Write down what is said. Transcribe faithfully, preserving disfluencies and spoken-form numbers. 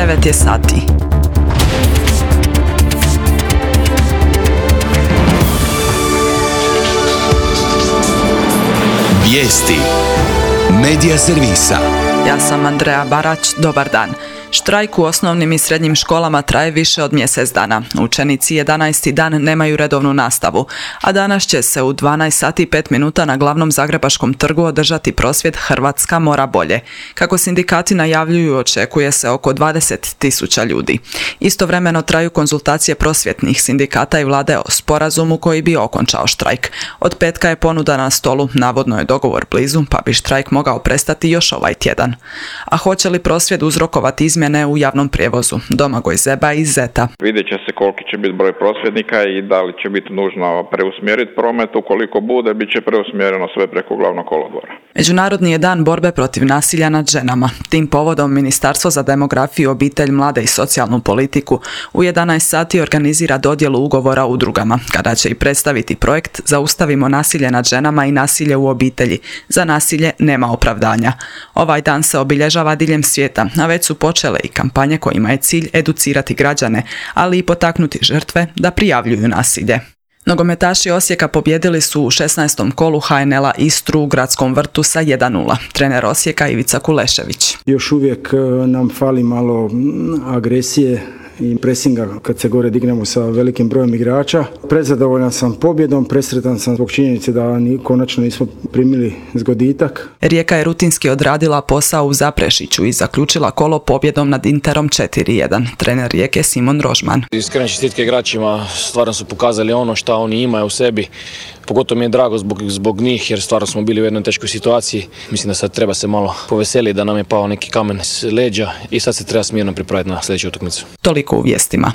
devet je sati. Vijesti Medija servisa. Ja sam Andreja Barać, dobar dan. Štrajk u osnovnim i srednjim školama traje više od mjesec dana. Učenici jedanaesti dan nemaju redovnu nastavu, a danas će se u dvanaest sati i pet minuta na glavnom Zagrebačkom trgu održati prosvjed Hrvatska mora bolje. Kako sindikati najavljuju, očekuje se oko dvadeset tisuća ljudi. Istovremeno traju konzultacije prosvjetnih sindikata i vlade o sporazumu koji bi okončao štrajk. Od petka je ponuda na stolu, navodno je dogovor blizu, pa bi štrajk mogao prestati još ovaj tjedan. A hoće li prosvjed uzrokovati izmjene u javnom prijevozu? Domagoj Zeba iz Zeta. Vidjet će se koliki će biti broj prosvjednika i da li će biti nužno preusmjeriti promet. Ukoliko bude, bit će preusmjereno sve preko glavnog kolodvora. Međunarodni je dan borbe protiv nasilja nad ženama. Tim povodom Ministarstvo za demografiju, obitelj, mlade i socijalnu politiku u jedanaest sati organizira dodjelu ugovora udrugama, kada će i predstaviti projekt Zaustavimo nasilje nad ženama i nasilje u obitelji. Za nasilje nema opravdanja. Ovaj dan se obilježava diljem svijeta, a već su počele i kampanje kojima je cilj educirati građane, ali i potaknuti žrtve da prijavljuju nasilje. Nogometaši Osijeka pobjedili su u šesnaestom kolu ha en el-a Istru u Gradskom vrtu sa jedan nula. Trener Osijeka Ivica Kulešević. Još uvijek nam fali malo agresije i presinga kad se gore dignemo sa velikim brojem igrača. Prezadovoljan sam pobjedom, presretan sam zbog činjenice da ni, konačno nismo primili zgoditak. Rijeka je rutinski odradila posao u Zaprešiću i zaključila kolo pobjedom nad Interom četiri jedan. Trener Rijeke Simon Rožman. Iskrene čestitke igračima, stvarno su pokazali ono što oni imaju u sebi. Pogotovo mi je drago zbog, zbog njih jer stvarno smo bili u jednoj teškoj situaciji. Mislim da sad treba se malo poveseliti da nam je pao neki kamen s leđa i sad se treba smirno pripraviti na sljedeću utakmicu. Toliko u vijestima.